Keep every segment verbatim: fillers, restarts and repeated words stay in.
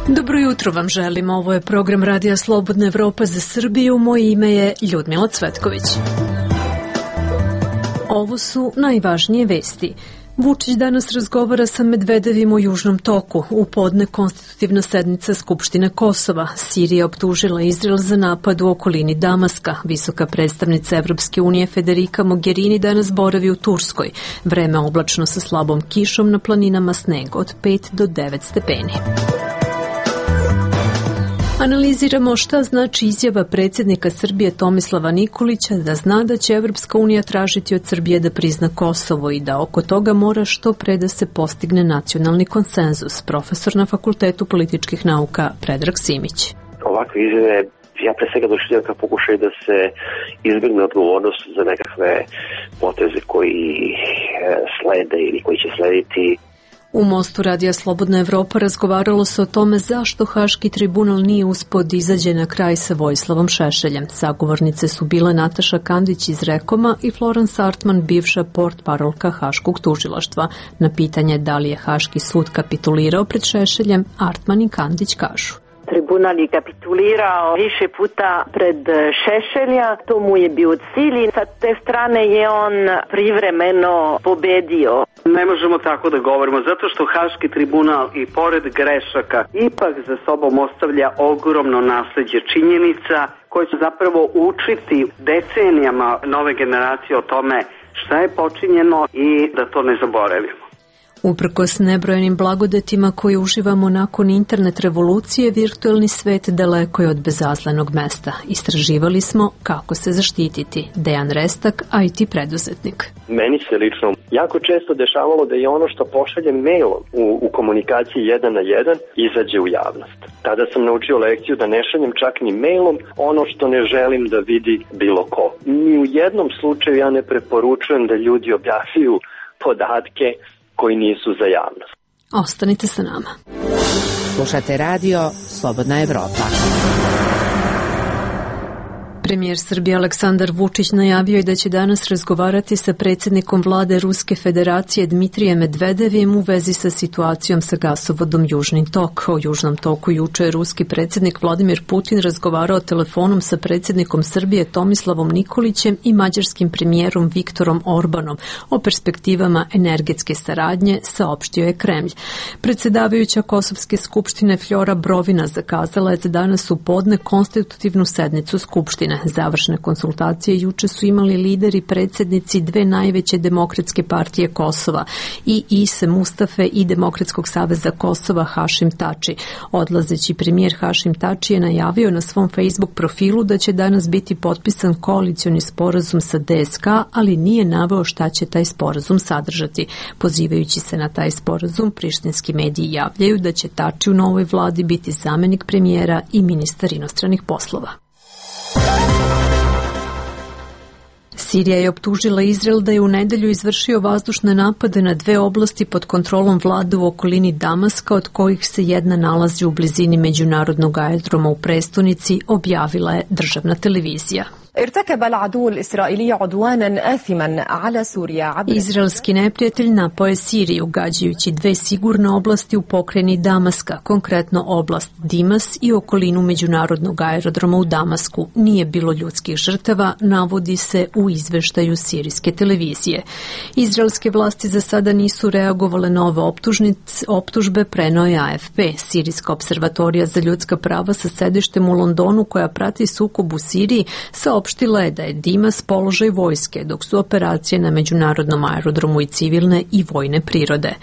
Dobro jutro vam želim, ovo je program Radija Slobodna Evropa za Srbiju, moje ime je Ljudmila Cvetković. Ovo su najvažnije vesti. Vučić danas razgovara sa Medvedevim o Južnom toku. U podne konstitutivna sednica Skupštine Kosova. Sirija optužila Izrael za napad u okolini Damaska. Visoka predstavnica Evropske unije Federica Mogherini danas boravi u Turskoj. Vreme oblačno sa slabom kišom, na planinama sneg od pet do devet stepeni. Analiziramo šta znači izjava predsjednika Srbije Tomislava Nikolića da zna da će Evropska unija tražiti od Srbije da prizna Kosovo i da oko toga mora što pre da se postigne nacionalni konsenzus. Profesor na Fakultetu političkih nauka Predrag Simić. Ovakve izjave ja pre svega doživljam kao pokušaj da se izbjegne odgovornost za nekakve poteze koji slede ili koji će slediti. U Mostu Radija Slobodna Evropa razgovaralo se o tome zašto Haški tribunal nije uspeo da izađe na kraj sa Vojislavom Šešeljem. Sagovornice su bile Nataša Kandić iz Rekoma i Florence Artman, bivša portparolka Haškog tužilaštva. Na pitanje da li je Haški sud kapitulirao pred Šešeljem, Artman i Kandić kažu. Tribunal je kapitulirao više puta pred Šešelja, to mu je bio cilj i sa te strane je on privremeno pobedio. Ne možemo tako da govorimo, zato što Haški tribunal i pored grešaka ipak za sobom ostavlja ogromno nasleđe činjenica koje će zapravo učiti decenijama nove generacije o tome šta je počinjeno i da to ne zaboravimo. Uprkos nebrojenim blagodetima koje uživamo nakon internet revolucije, virtuelni svet daleko je od bezazlenog mesta. Istraživali smo kako se zaštititi. Dejan Restak, I T preduzetnik. Meni se lično jako često dešavalo da je ono što pošaljem mailom u, u komunikaciji jedan na jedan izađe u javnost. Tada sam naučio lekciju da ne šaljem čak ni mailom ono što ne želim da vidi bilo ko. Ni u jednom slučaju ja ne preporučujem da ljudi objavljuju podatke koji nisu za javnost. Ostanite sa nama. Slušate radio Slobodna Evropa. Premijer Srbije Aleksandar Vučić najavio je da će danas razgovarati sa predsjednikom vlade Ruske federacije Dmitrijem Medvedevim u vezi sa situacijom sa gasovodom Južni tok. O Južnom toku juče je ruski predsjednik Vladimir Putin razgovarao telefonom sa predsjednikom Srbije Tomislavom Nikolićem i mađarskim premijerom Viktorom Orbanom o perspektivama energetske saradnje, saopštio je Kremlj. Predsjedavajuća Kosovske skupštine Flora Brovina zakazala je za danas u podne konstitutivnu sednicu skupštine. Završne konsultacije juče su imali lideri predsjednici dve najveće demokratske partije Kosova, i Ise Mustafe i Demokratskog saveza Kosova Hašim Tači. Odlazeći premijer Hašim Tači je najavio na svom Facebook profilu da će danas biti potpisan koalicioni sporazum sa D S K, ali nije naveo šta će taj sporazum sadržati. Pozivajući se na taj sporazum, prištinski mediji javljaju da će Tači u novoj vladi biti zamjenik premijera i ministar inostranih poslova. Sirija je optužila Izrael da je u nedelju izvršio vazdušne napade na dve oblasti pod kontrolom vlade u okolini Damaska, od kojih se jedna nalazi u blizini međunarodnog aerodroma u prestonici, objavila je državna televizija. Izraelski neprijatelj napao je Siriju, gađajući dve sigurne oblasti u pokrajini Damaska, konkretno oblast Dimas i okolinu međunarodnog aerodroma u Damasku. Nije bilo ljudskih žrtava, navodi se u izveštaju sirijske televizije. Izraelske vlasti za sada nisu reagovale na ove optužbe, preneo je A F P. Sirijska observatorija za ljudska prava sa sedištem u Londonu, koja prati sukob u Siriji, saopštila je da je Dimas položaj vojske, dok su operacije na međunarodnom aerodromu i civilne i vojne prirode.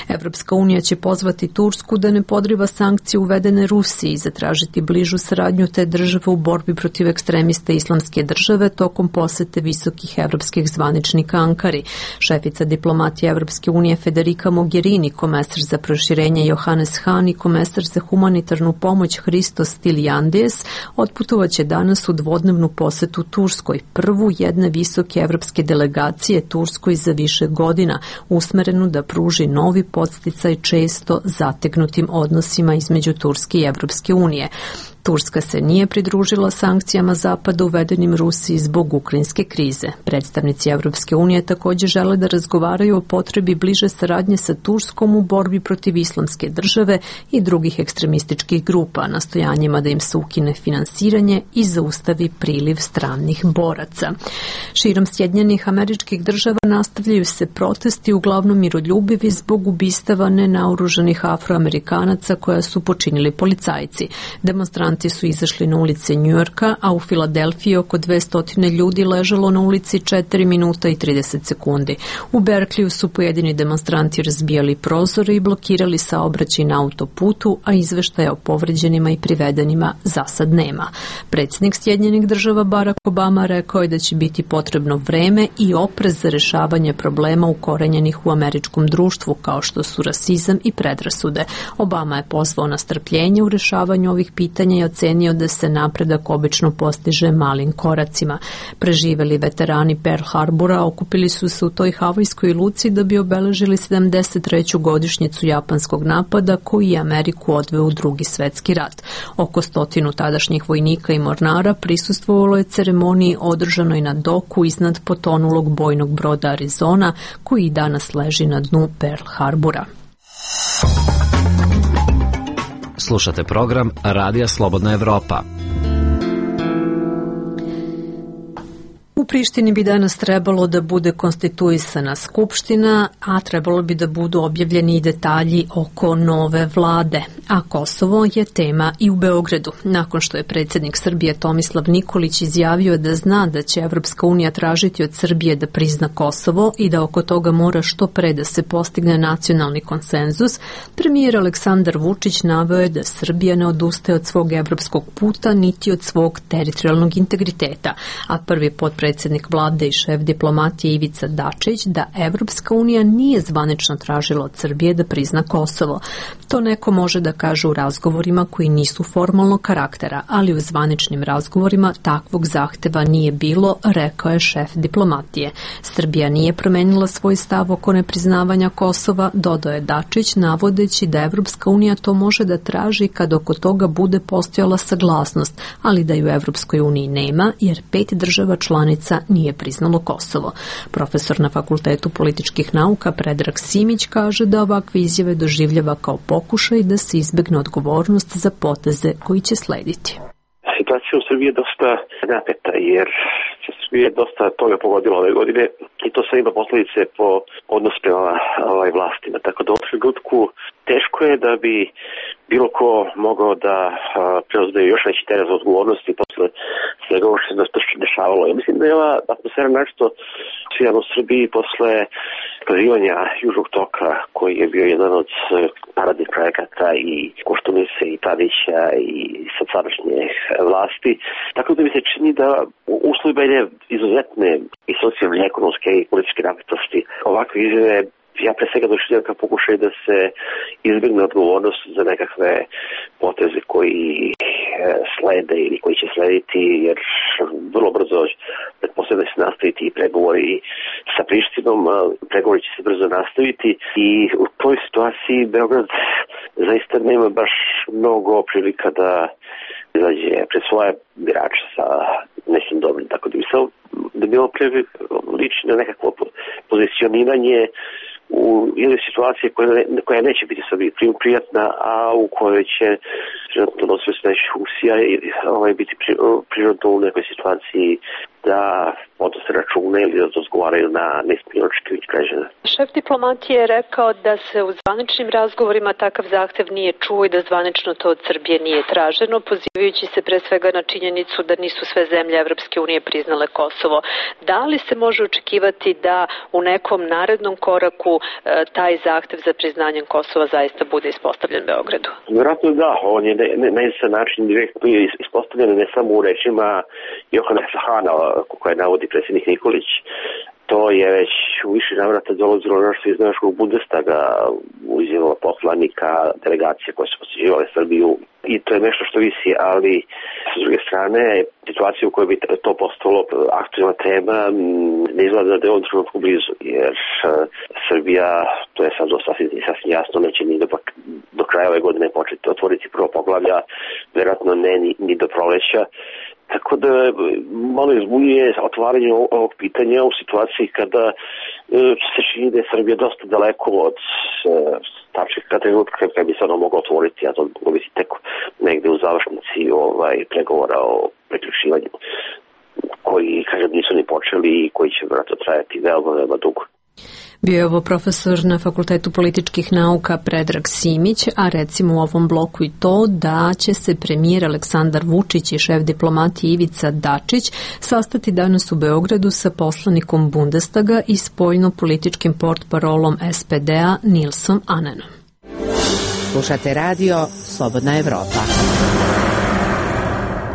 Evropska unija će pozvati Tursku da ne podriva sankcije uvedene Rusiji i zatražiti bližu saradnju te države u borbi protiv ekstremista Islamske države tokom posete visokih evropskih zvaničnika Ankari. Šefica diplomatije Evropske unije Federica Mogherini, komesar za proširenje Johannes Hahn i komesar za humanitarnu pomoć Hristos Stylianides otputovaće danas u dvodnevnu posetu Turskoj, prvu jedne visoke evropske delegacije Turskoj za više godina, usmerenu da pruži novi podsticaj često zategnutim odnosima između Turske i Evropske unije. Turska se nije pridružila sankcijama Zapada uvedenim Rusiji zbog ukrajinske krize. Predstavnici Evropske unije također žele da razgovaraju o potrebi bliže saradnje sa Turskom u borbi protiv islamske države i drugih ekstremističkih grupa, nastojanjima da im se ukine finansiranje i zaustavi priliv stranih boraca. Širom Sjedinjenih Američkih Država nastavljaju se protesti, uglavnom miroljubivi, zbog ubistava nenaoružanih Afroamerikanaca koja su počinili policajci. Demonstranti su izašli na ulice Njujorka, a u Filadelfiji oko dvesta ljudi ležalo na ulici četiri minuta i trideset sekundi. U Berkliju su pojedini demonstranti razbijali prozore i blokirali saobraćaj na autoputu, a izveštaja o povređenima i privedenima za sad nema. Predsjednik Sjedinjenih Država Barack Obama rekao je da će biti potrebno vreme i oprez za rešavanje problema ukorenjenih u američkom društvu, kao što su rasizam i predrasude. Obama je pozvao na strpljenje u rešavanju ovih pitanja i ocenio da se napredak obično postiže malim koracima. Preživeli veterani Pearl Harbora okupili su se u toj havajskoj luci da bi obeležili sedamdeset treću godišnjicu japanskog napada koji je Ameriku odveo u Drugi svetski rat. Oko stotinu tadašnjih vojnika i mornara prisustvovalo je ceremoniji održanoj na doku iznad potonulog bojnog broda Arizona, koji danas leži na dnu Pearl Harbora. Slušate program Radija Slobodna Evropa. U Prištini bi danas trebalo da bude konstituisana skupština, a trebalo bi da budu objavljeni i detalji oko nove vlade. A Kosovo je tema i u Beogradu. Nakon što je predsjednik Srbije Tomislav Nikolić izjavio da zna da će Evropska unija tražiti od Srbije da prizna Kosovo i da oko toga mora što pre da se postigne nacionalni konsenzus, premijer Aleksandar Vučić naveo je da Srbija ne odustaje od svog evropskog puta niti od svog teritorijalnog integriteta, a prvi potpredsjednik predsjednik vlade i šef diplomatije Ivica Dačić da Evropska unija nije zvanično tražila od Srbije da prizna Kosovo. To neko može da kaže u razgovorima koji nisu formalnog karaktera, ali u zvaničnim razgovorima takvog zahteva nije bilo, rekao je šef diplomatije. Srbija nije promenila svoj stav oko nepriznavanja Kosova, dodao je Dačić, navodeći da Evropska unija to može da traži kad oko toga bude postojala saglasnost, ali da ju Evropskoj uniji nema, jer pet država članica nije priznalo Kosovo. Profesor na Fakultetu političkih nauka Predrag Simić kaže da ovakve izjave doživljava kao pokušaj da se izbegne odgovornost za poteze koji će slediti. Situacija u Srbiji je dosta napeta, jer Srbije je dosta toga pogodilo ove godine i to sve ima posljedice po odnos prema ovaj vlastima. Tako da u ovom trenutku teško je da bi bilo ko mogao da preuzme još veći teret za odgovornosti posle svega ovo što se dešavalo. Ja mislim da je ova atmosfera nešto svijan u Srbiji posle kazivanja Južnog toka, koji je bio jedan od paradnih projekata i Koštunice i Tadića i sad sadašnje vlasti. Tako da mi se čini da uslovi bene izuzetne i socijalne, ekonomske i političke napetosti ovakve izjave ja pre svega doživljam kao pokušaj da se izbjegne odgovornost za nekakve poteze koji slede ili koji će slediti, jer vrlo brzo pretpostavljam da će se nastaviti i pregovori sa Prištinom, pregovori će se brzo nastaviti i u toj situaciji Beograd zaista nema baš mnogo prilika da izađe pred svoje birače sa nekim dobrim, tako da bi se da bilo lično nekakvo pozicioniranje u jednoj situaciji koja, ne, koja neće biti sebi prijatna, a u kojoj će prirodno nosioci najviše funkcija i ovaj, biti prirodno u nekoj situaciji da podnose račune ili da razgovaraju na neispunjeno očekivanje građana. Šef diplomatije je rekao da se u zvaničnim razgovorima takav zahtev nije čuo i da zvanično to od Srbije nije traženo, pozivajući se pre svega na činjenicu da nisu sve zemlje Evropske unije priznale Kosovo. Da li se može očekivati da u nekom narednom koraku e, taj zahtev za priznanjem Kosova zaista bude ispostavljen Beogradu? Vjerojatno da, on je na jedan način direktno ispostavljen ne samo u rečima Johana Sahana, koje navodi predsjednik Nikolić. To je već u više navrata dolazilo nešto iz našeg Bundestaga, u izjavama poslanika, delegacije koje su posjećivale Srbiju i to je nešto što visi, ali s druge strane situacija u kojoj bi to postalo aktualna tema ne izgleda da je on trenutku blizu, jer Srbija, to je sad sasvim, sasvim jasno, neće ni do, do kraja kraja ove godine početi otvoriti prvo poglavlja, vjerojatno ne ni, ni do proleća. Tako da malo izbunjuje otvaranje ovog pitanja u situaciji kada e, se čini da je Srbija dosta daleko od e, tačka trenutka kada bi se ono moglo otvoriti, a to moglo biti tek negde u završnici ovaj, pregovora o priključivanju, koji, kažem, nisu ni počeli i koji će vjerojatno trajati veoma, veoma dugo. Bio je ovo profesor na Fakultetu političkih nauka Predrag Simić, a recimo u ovom bloku i to da će se premijer Aleksandar Vučić i šef diplomatije Ivica Dačić sastati danas u Beogradu sa poslanikom Bundestaga i spoljno-političkim portparolom S P D-a Nilsom Anenom. Slušate radio Slobodna Evropa.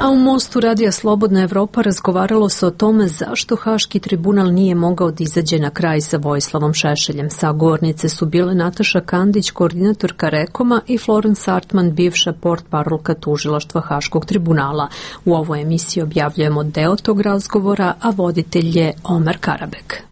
A u Mostu Radija Slobodna Evropa razgovaralo se o tome zašto Haški tribunal nije mogao da izađe na kraj sa Vojislavom Šešeljem. Sagovornice su bile Nataša Kandić, koordinatorka Rekoma, i Florence Artman, bivša portparolka tužilaštva Haškog tribunala. U ovoj emisiji objavljujemo deo tog razgovora, a voditelj je Omer Karabek.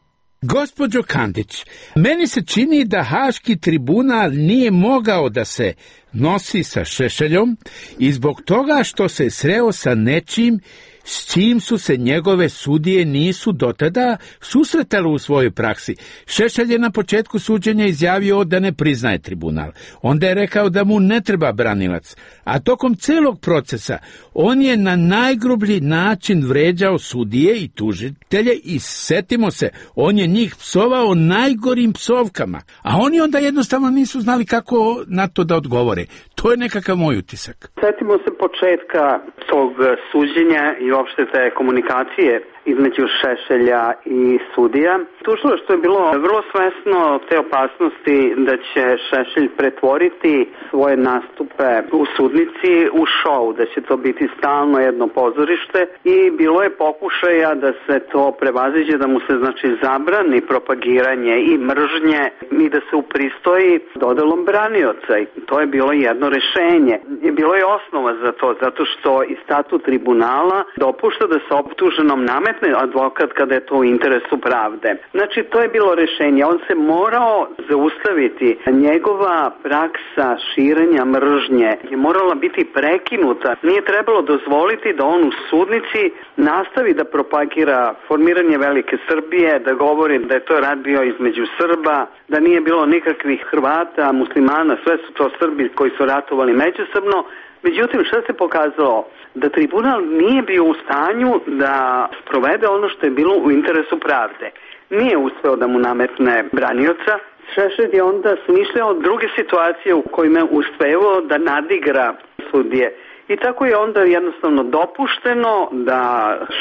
Gospođo Kandić, meni se čini da Haški tribunal nije mogao da se nosi sa Šešeljom i zbog toga što se sreo sa nečim s čim su se njegove sudije nisu dotada susretale u svojoj praksi. Šešelj je na početku suđenja izjavio da ne priznaje tribunal. Onda je rekao da mu ne treba branilac. A tokom celog procesa on je na najgrublji način vređao sudije i tužitelje i setimo se, on je njih psovao najgorim psovkama. A oni onda jednostavno nisu znali kako na to da odgovore. To je nekakav moj utisak. Setimo se početka tog suđenja i uopšte te komunikacije između Šešelja i sudija. Tužilaštvo je bilo vrlo svesno te opasnosti da će Šešelj pretvoriti svoje nastupe u sudnici u šou, da će to biti stalno jedno pozorište i bilo je pokušaja da se to prevaziđe, da mu se znači zabrani propagiranje i mržnje i da se upristoji dodelom branioca. I to je bilo jedno rešenje. Bilo je osnova za to, zato što i statut tribunala dopušta da se optuženom nametne advokat kada je to u interesu pravde. Znači, to je bilo rešenje. On se morao zaustaviti. Njegova praksa širenja mržnje je morala biti prekinuta. Nije trebalo dozvoliti da on u sudnici nastavi da propagira formiranje Velike Srbije, da govori da je to rat bio između Srba, da nije bilo nikakvih Hrvata, muslimana, sve su to Srbi koji su ratovali međusobno. Međutim, što se pokazalo? Da tribunal nije bio u stanju da sprovede ono što je bilo u interesu pravde. Nije uspeo da mu nametne branioca. Šešelj je onda smišljao druge situacije u kojima je uspeo da nadigra sudije. I tako je onda jednostavno dopušteno da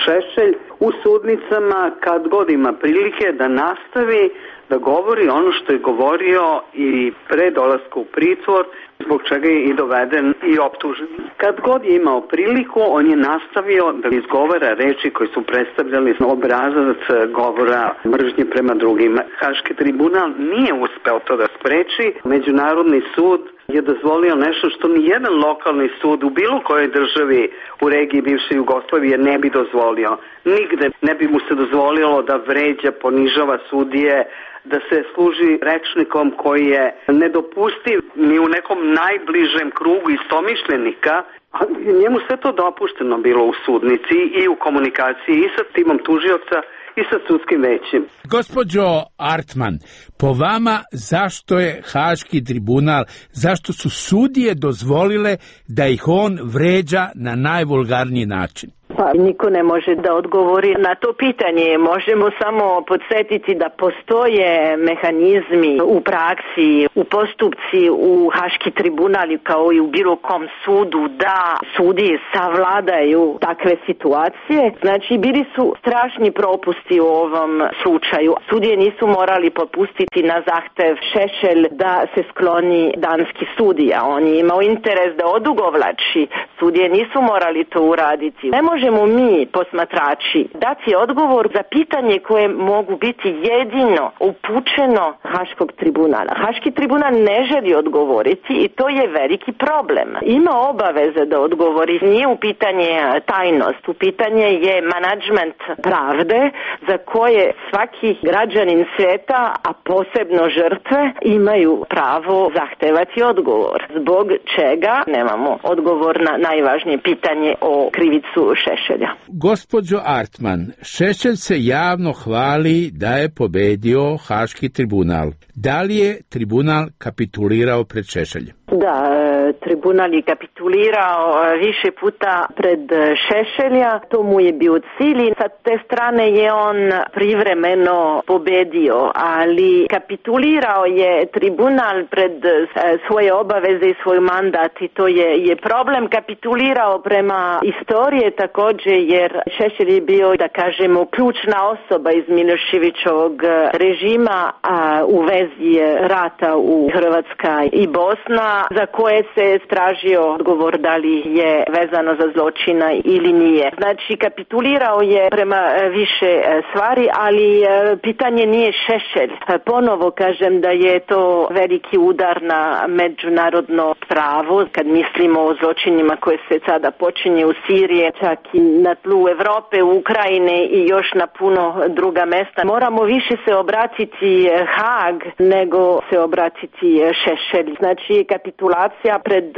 Šešelj u sudnicama, kad god ima prilike, da nastavi da govori ono što je govorio i pre dolaska u pritvor, zbog čega je i doveden i optužen. Kad god je imao priliku, on je nastavio da izgovara reči koje su predstavljali obrazac govora mržnje prema drugima. Haški tribunal nije uspeo to da spreči. Međunarodni sud je dozvolio nešto što ni jedan lokalni sud u bilo kojoj državi u regiji bivše Jugoslavije ne bi dozvolio. Nigde ne bi mu se dozvolilo da vređa, ponižava sudije, da se služi rečnikom koji je nedopustiv ni u nekom najbližem krugu istomišljenika, a njemu sve to dopušteno bilo u sudnici i u komunikaciji i sa timom tužioca i sa sudskim većem. Gospođo Artman, po vama zašto je Haški tribunal, zašto su sudije dozvolile da ih on vređa na najvulgarniji način? Pa niko ne može da odgovori na to pitanje. Možemo samo podsjetiti da postoje mehanizmi u praksi, u postupci, u Haški tribunal kao i u bilo kom sudu da sudije savladaju takve situacije. Znači, bili su strašni propusti u ovom slučaju. Sudije nisu morali popustiti na zahtev Šešelj da se skloni danski sudija. On je imao interes da odugovlači. Sudije nisu morali to uraditi. Ne može možemo mi, posmatrači, dati odgovor za pitanje koje mogu biti jedino upućeno Haškog tribunala. Haški tribunal ne želi odgovoriti i to je veliki problem. Ima obaveze da odgovori. Nije u pitanje tajnost, u pitanje je menadžment pravde za koje svaki građanin svijeta, a posebno žrtve, imaju pravo zahtevati odgovor. Zbog čega nemamo odgovor na najvažnije pitanje o krivicu Šešelja. Gospođo Artman, Šešelj se javno hvali da je pobedio Haški tribunal. Da li je tribunal kapitulirao pred Šešeljem? Da, tribunal je kapitulirao više puta pred Šešelja, to mu je bio cilj. Sa te strane je on privremeno pobedio, ali kapitulirao je tribunal pred svoje obaveze i svoj mandat i to je, je problem. Kapitulirao prema istorije također jer Šešelj je bio, da kažemo, ključna osoba iz Miloševićovog režima a, u vezi rata u Hrvatska i Bosna, za koje se tražio odgovor da li je vezano za zločina ili nije. Znači, kapitulirao je prema više stvari, ali pitanje nije Šešelj. Ponovo kažem da je to veliki udar na međunarodno pravo, kad mislimo o zločinima koje se sada počinje u Siriji, čak i na tlu Evrope, Ukrajine i još na puno druga mesta. Moramo više se obratiti Haag nego se obratiti Šešelj. Znači, kapitulacija pred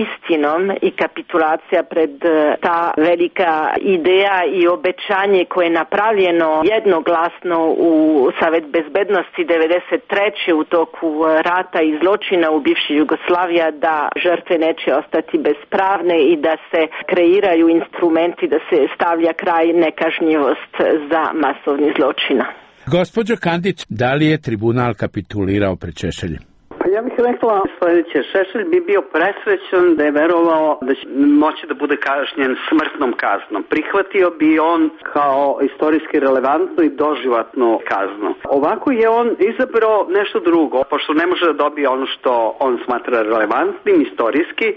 istinom i kapitulacija pred ta velika ideja i obećanje koje je napravljeno jednoglasno u Savet bezbednosti devedeset treće u toku rata i zločina u bivšoj Jugoslaviji, da žrtve neće ostati bespravne i da se kreiraju instrumenti da se stavlja kraj nekažnjivost za masovni zločina. Gospođo Kandić, da li je tribunal kapitulirao pred Šešeljem? Pa ja bih rekla sljedeće. Šešelj bi bio presrećan da je verovao da će moći da bude kažnjen smrtnom kaznom. Prihvatio bi on kao istorijski relevantnu i doživotnu kaznu. Ovako je on izabrao nešto drugo, pošto ne može da dobije ono što on smatra relevantnim istorijski.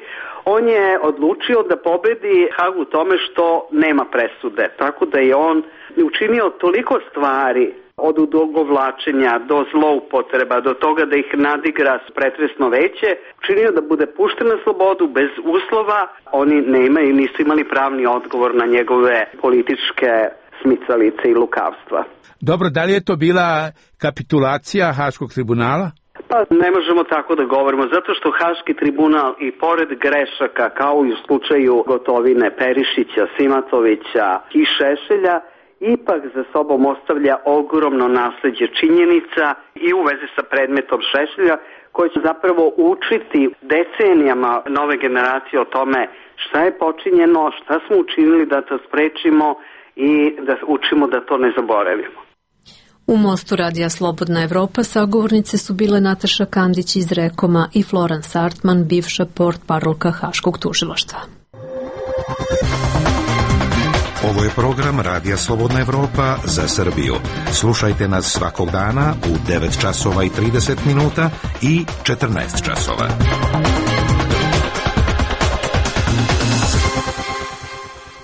On je odlučio da pobedi Hag u tome što nema presude. Tako da je on učinio toliko stvari, od odugovlačenja do zloupotreba, do toga da ih nadigra pretresno veće, učinio da bude pušten na slobodu bez uslova. Oni ne imaju, nisu imali pravni odgovor na njegove političke smicalice i lukavstva. Dobro, da li je to bila kapitulacija Haškog tribunala? Pa ne možemo tako da govorimo, zato što Haški tribunal i pored grešaka, kao i u slučaju Gotovine, Perišića, Simatovića i Šešelja, ipak za sobom ostavlja ogromno nasleđe činjenica i u vezi sa predmetom Šešelja, koji će zapravo učiti decenijama nove generacije o tome šta je počinjeno, šta smo učinili da to sprečimo i da učimo da to ne zaboravimo. U mostu Radija Slobodna Evropa sagovornice su bile Nataša Kandić iz Rekoma i Florence Artman, bivša portparolka Haškog tužilaštva. Ovo je program Radija Slobodna Evropa za Srbiju. Slušajte nas svakog dana u devet časova i trideset minuta i četrnaest časova.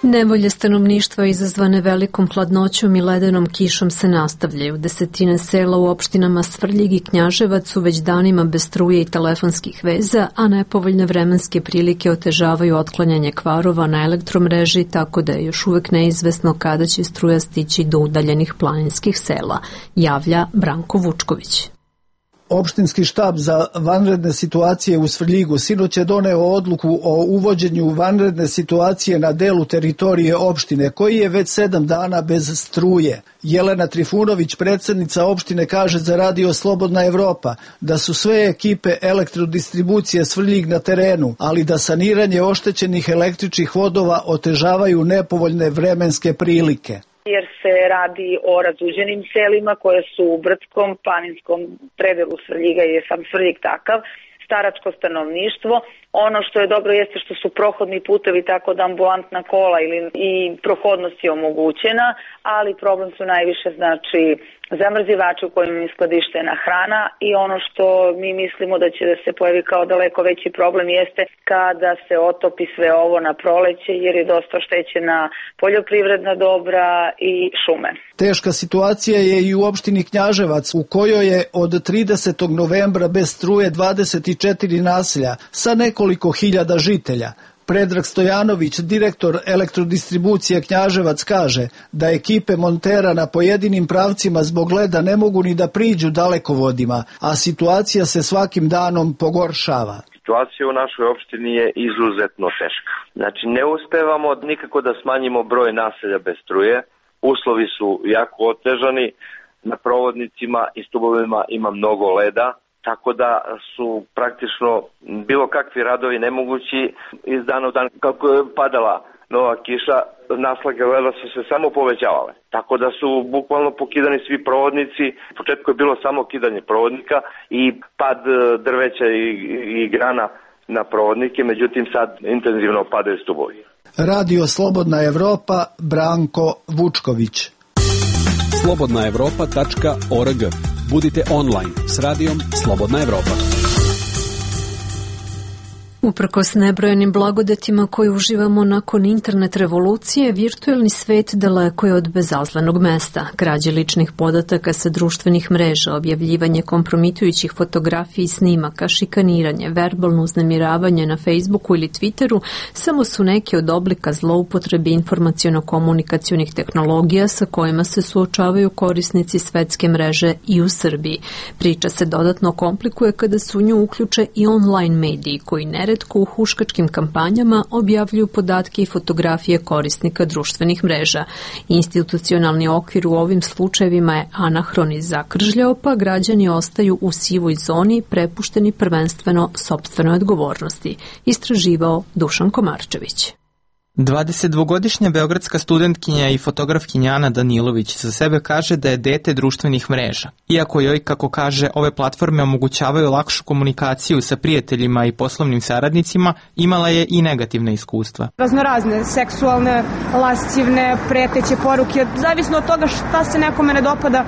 Nevolje stanovništva izazvane velikom hladnoćom i ledenom kišom se nastavljaju. Desetine sela u opštinama Svrljig i Knjaževac su već danima bez struje i telefonskih veza, a nepovoljne vremenske prilike otežavaju otklanjanje kvarova na elektromreži, tako da je još uvek neizvesno kada će struja stići do udaljenih planinskih sela, javlja Branko Vučković. Opštinski štab za vanredne situacije u Svrljigu sinoć je doneo odluku o uvođenju vanredne situacije na delu teritorije opštine, koji je već sedam dana bez struje. Jelena Trifunović, predsjednica opštine, kaže za Radio Slobodna Evropa da su sve ekipe elektrodistribucije Svrljig na terenu, ali da saniranje oštećenih električnih vodova otežavaju nepovoljne vremenske prilike. Jer se radi o razuđenim selima koje su u brdskom, planinskom predelu Svrljiga, je sam Svrljig takav, staračko stanovništvo. Ono što je dobro jeste što su prohodni putevi, tako da ambulantna kola ili i prohodnost je omogućena, ali problem su najviše znači zamrzivači u kojima je skladištena hrana i ono što mi mislimo da će da se pojavi kao daleko veći problem jeste kada se otopi sve ovo na proleće jer je dosta oštećena poljoprivredna dobra i šume. Teška situacija je i u opštini Knjaževac u kojoj je od tridesetog novembra bez struje dvadeset četiri naselja sa nekoliko hiljada žitelja. Predrag Stojanović, direktor elektrodistribucije Knjaževac, kaže da ekipe montera na pojedinim pravcima zbog leda ne mogu ni da priđu dalekovodima, a situacija se svakim danom pogoršava. Situacija u našoj opštini je izuzetno teška. Znači ne uspevamo nikako da smanjimo broj naselja bez struje, uslovi su jako otežani, na provodnicima i stubovima ima mnogo leda, tako da su praktično bilo kakvi radovi nemogući iz dana u dan. Kako je padala nova kiša, naslage leda su se samo povećavale. Tako da su bukvalno pokidani svi provodnici. U početku je bilo samo kidanje provodnika i pad drveća i, i grana na provodnike, međutim sad intenzivno padaju stubovi. Radio Slobodna Evropa, Branko Vučković. slobodna evropa tačka org. Budite online s radijom Slobodna Evropa. Uprkos nebrojenim blagodetima koje uživamo nakon internet revolucije, virtuelni svet daleko je od bezazlenog mesta. Krađe ličnih podataka sa društvenih mreža, objavljivanje kompromitujućih fotografija i snimaka, šikaniranje, verbalno uznemiravanje na Facebooku ili Twitteru samo su neki od oblika zloupotrebe informaciono-komunikacionih tehnologija sa kojima se suočavaju korisnici svetske mreže i u Srbiji. Priča se dodatno komplikuje kada su u nju uključe i online mediji koji ne neretko u huškačkim kampanjama objavljuju podatke i fotografije korisnika društvenih mreža. Institucionalni okvir u ovim slučajevima je anahron i zakržljao, pa građani ostaju u sivoj zoni prepušteni prvenstveno sopstvenoj odgovornosti, istraživao Dušan Komarčević. dvadesetdvogodišnja beogradska studentkinja i fotografkinja Ana Danilović za sebe kaže da je dete društvenih mreža. Iako joj, kako kaže, ove platforme omogućavaju lakšu komunikaciju sa prijateljima i poslovnim saradnicima, imala je i negativne iskustva. Raznorazne, seksualne, lascivne, preteće poruke, zavisno od toga šta se nekome ne dopada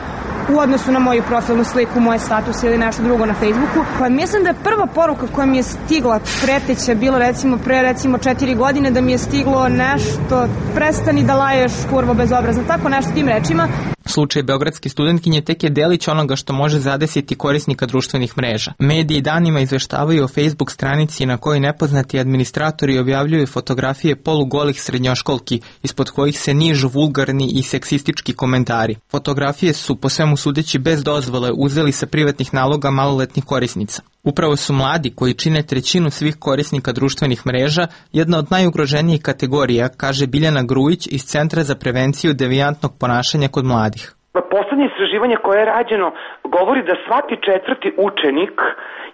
u odnosu na moju profilnu sliku, moje status ili nešto drugo na Facebooku. Pa mislim da je prva poruka koja mi je stigla preteća bila recimo pre recimo četiri godine, da mi je stiglo nešto, prestani da laješ, kurvo bezobrazno, tako nešto tim rečima. Slučaj beogradske studentkinje tek je delić onoga što može zadesiti korisnika društvenih mreža. Mediji danima izveštavaju o Facebook stranici na kojoj nepoznati administratori objavljuju fotografije polugolih srednjoškolki, ispod kojih se nižu vulgarni i seksistički komentari. Fotografije su, po svemu sudeći, bez dozvole uzeli sa privatnih naloga maloletnih korisnica. Upravo su mladi, koji čine trećinu svih korisnika društvenih mreža, jedna od najugroženijih kategorija, kaže Biljana Grujić iz Centra za prevenciju devijantnog ponašanja kod mladih. Poslednje istraživanje koje je rađeno govori da svaki četvrti učenik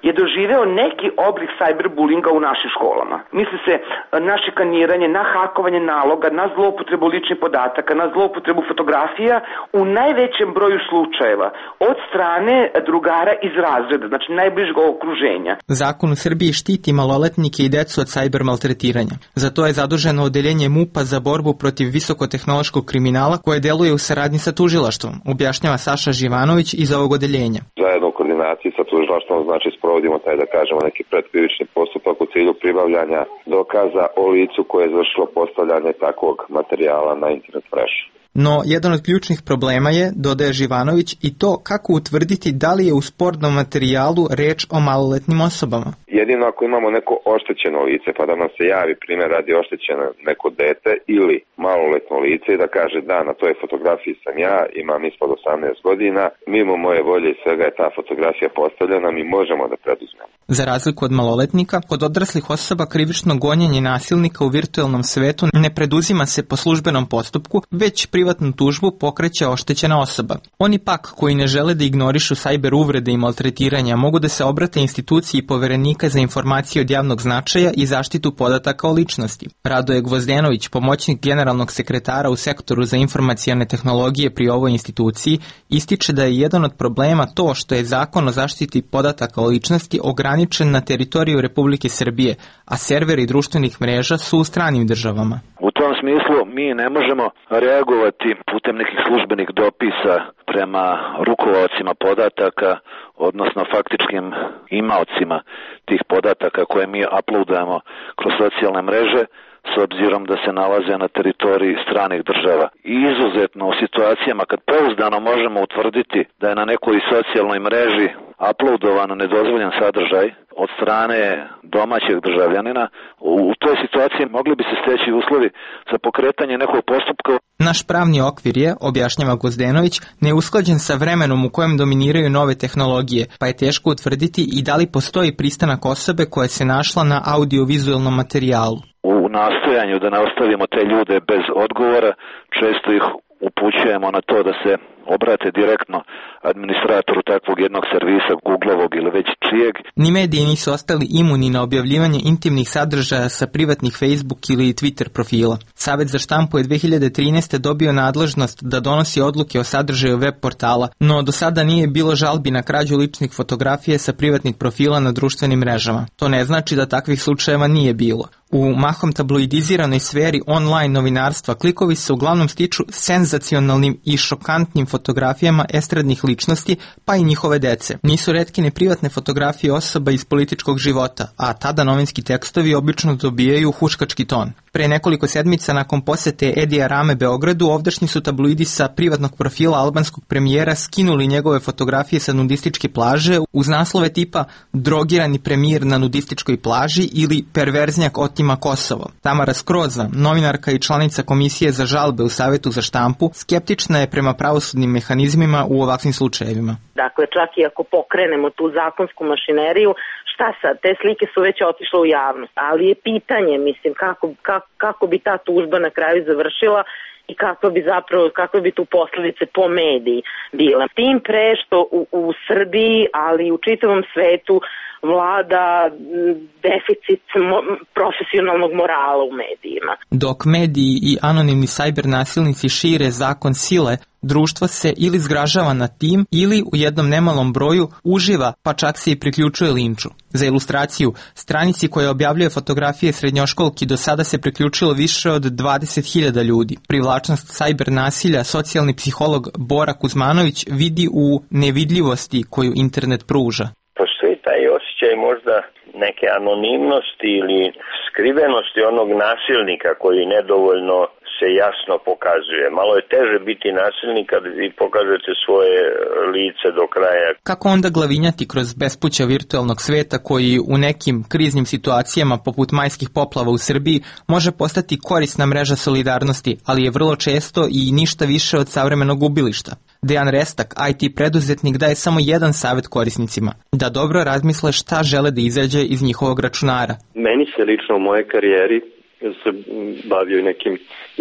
je doživeo neki oblik cyberbullinga u našim školama. Misli se na šikaniranje, na hakovanje naloga, na zloupotrebu ličnih podataka, na zloupotrebu fotografija u najvećem broju slučajeva od strane drugara iz razreda, znači najbližeg okruženja. Zakon u Srbiji štiti maloletnike i decu od cyber maltretiranja. Za to je zaduženo odeljenje MUP-a za borbu protiv visokotehnološkog kriminala koje deluje u saradnji sa tužilaštvom, objašnjava Saša Živanović iz ovog odeljenja. Zajedno u koordinaciji sa tužilaštvom, znači sprovodimo taj, da kažemo, neki predkrivični postupak u cilju pribavljanja dokaza o licu koje je izvršilo postavljanje takvog materijala na internet mrežu. No, jedan od ključnih problema je, dodaje Živanović, i to kako utvrditi da li je u sportnom materijalu reč o maloletnim osobama. Jedino ako imamo neko oštećeno lice, pa da nam se javi primjer radi oštećeno neko dete ili maloletno lice i da kaže da, na toj fotografiji sam ja, imam ispod osamnaest godina, mimo moje volje i svega je ta fotografija postavljena, mi možemo da preduzmemo. Za razliku od maloletnika, kod odraslih osoba krivično gonjenje nasilnika u virtuelnom svetu ne preduzima se po službenom postupku, već privatnu tužbu pokreće oštećena osoba. Oni pak, koji ne žele da ignorišu sajber uvrede i maltretiranja, mogu da se obrate instituciji poverenika za informacije od javnog značaja i zaštitu podataka o ličnosti. Radoje Gvozdenović, pomoćnik generalnog sekretara u sektoru za informacione tehnologije pri ovoj instituciji, ističe da je jedan od problema to što je zakon o zaštiti podataka o ličnosti ograničen na teritoriju Republike Srbije, a serveri društvenih mreža su u stranim državama. U tom smislu mi ne možemo reagovati putem nekih službenih dopisa prema rukovaocima podataka, odnosno faktičkim imaocima tih podataka koje mi uploadujemo kroz socijalne mreže, s obzirom da se nalaze na teritoriji stranih država. I izuzetno u situacijama kad pouzdano možemo utvrditi da je na nekoj socijalnoj mreži uploadovan nedozvoljen sadržaj od strane domaćeg državljanina, u toj situaciji mogli bi se steći uslovi za pokretanje nekog postupka. Naš pravni okvir je, objašnjava Gozdenović, neusklađen sa vremenom u kojem dominiraju nove tehnologije, pa je teško utvrditi i da li postoji pristanak osobe koja se našla na audiovizualnom materijalu. U nastojanju da ne ostavimo te ljude bez odgovora, često ih upućujemo na to da se obrate direktno administratoru takvog jednog servisa, Googlovog ili već čijeg. Ni mediji nisu ostali imuni na objavljivanje intimnih sadržaja sa privatnih Facebook ili Twitter profila. Savet za štampu je dve hiljade trinaeste. dobio nadležnost da donosi odluke o sadržaju web portala, no do sada nije bilo žalbi na krađu ličnih fotografija sa privatnih profila na društvenim mrežama. To ne znači da takvih slučajeva nije bilo. U mahom tabloidiziranoj sferi online novinarstva klikovi se uglavnom stiču senzacionalnim i šokantnim fotografijama estradnih ličnosti, pa i njihove dece. Nisu retke ni privatne fotografije osoba iz političkog života, a tada novinski tekstovi obično dobijaju huškački ton. Pre nekoliko sedmica nakon posete Edija Rame Beogradu, ovdašnji su tabloidi sa privatnog profila albanskog premijera skinuli njegove fotografije sa nudističke plaže uz naslove tipa "Drogirani premijer na nudističkoj plaži" ili "Perverznjak otima Kosovo". Tamara Skroza, novinarka i članica Komisije za žalbe u Savetu za štampu, skeptična je prema pravosudnim mehanizmima u ovakvim slučajevima. Dakle, čak i ako pokrenemo tu zakonsku mašineriju, šta sad, te slike su već otišle u javnost, ali je pitanje, mislim, kako, kako, kako bi ta tužba na kraju završila i kako bi zapravo, kako bi tu posljedice po mediji bile. Tim pre što u, u Srbiji, ali i u čitavom svetu vlada deficit mo, profesionalnog morala u medijima. Dok mediji i anonimni sajber nasilnici šire zakon sile, društvo se ili zgražava nad tim ili u jednom nemalom broju uživa, pa čak se i priključuje linču. Za ilustraciju, stranici koja objavljuje fotografije srednjoškolki do sada se priključilo više od dvadeset hiljada ljudi. Privlačnost sajber nasilja socijalni psiholog Bora Kuzmanović vidi u nevidljivosti koju internet pruža. Postoji taj osjećaj možda neke anonimnosti ili skrivenosti onog nasilnika koji nedovoljno se jasno pokazuje. Malo je teže biti nasilnik kad vi pokažete svoje lice do kraja. Kako onda glavinjati kroz bespuća virtualnog sveta koji u nekim kriznim situacijama poput majskih poplava u Srbiji može postati korisna mreža solidarnosti, ali je vrlo često i ništa više od savremenog ubilišta? Dejan Restak, I T preduzetnik, daje samo jedan savjet korisnicima, da dobro razmisle šta žele da izađe iz njihovog računara. Meni se lično u mojoj karijeri se bavio i nekim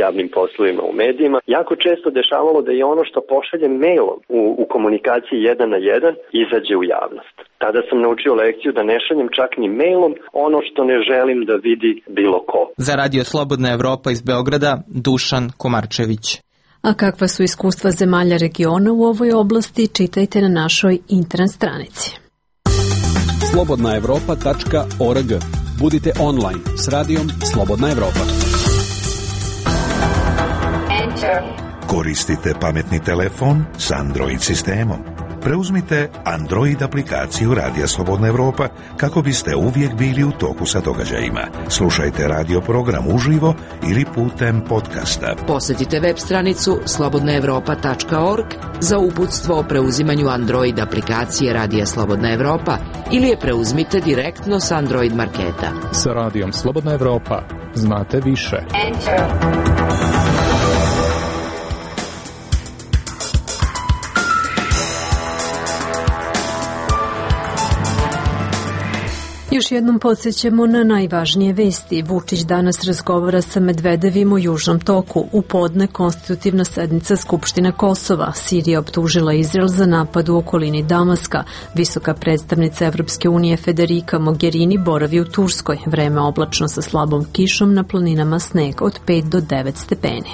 javnim poslovima u medijima, jako često dešavalo da je ono što pošaljem mailom u, u komunikaciji jedan na jedan izađe u javnost. Tada sam naučio lekciju da ne šaljem čak ni mailom ono što ne želim da vidi bilo ko. Za Radio Slobodna Evropa iz Beograda, Dušan Komarčević. A kakva su iskustva zemalja regiona u ovoj oblasti, čitajte na našoj internet stranici. slobodna evropa tačka org. Budite online s radijom Slobodna Evropa. Koristite pametni telefon s Android sistemom. Preuzmite Android aplikaciju Radija Slobodna Evropa kako biste uvijek bili u toku sa događajima. Slušajte radio program uživo ili putem podcasta. Posjetite web stranicu slobodna evropa tačka org za uputstvo o preuzimanju Android aplikacije Radija Slobodna Evropa ili je preuzmite direktno s Android marketa. Sa Radijom Slobodna Evropa znate više. Enter. Još jednom podsjećamo na najvažnije vesti. Vučić danas razgovara sa Medvedevim o Južnom toku. U podne konstitutivna sednica Skupštine Kosova. Sirija optužila Izrael za napad u okolini Damaska. Visoka predstavnica Evropske unije Federica Mogherini boravi u Turskoj. Vreme oblačno sa slabom kišom, na planinama sneg od pet do devet stepeni.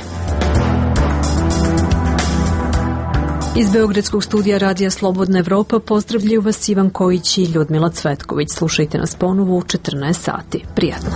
Iz Beogradskog studija Radija Slobodna Evropa pozdravljaju vas Ivan Kojić i Ljudmila Cvetković. Slušajte nas ponovo u četrnaest sati. Prijatno.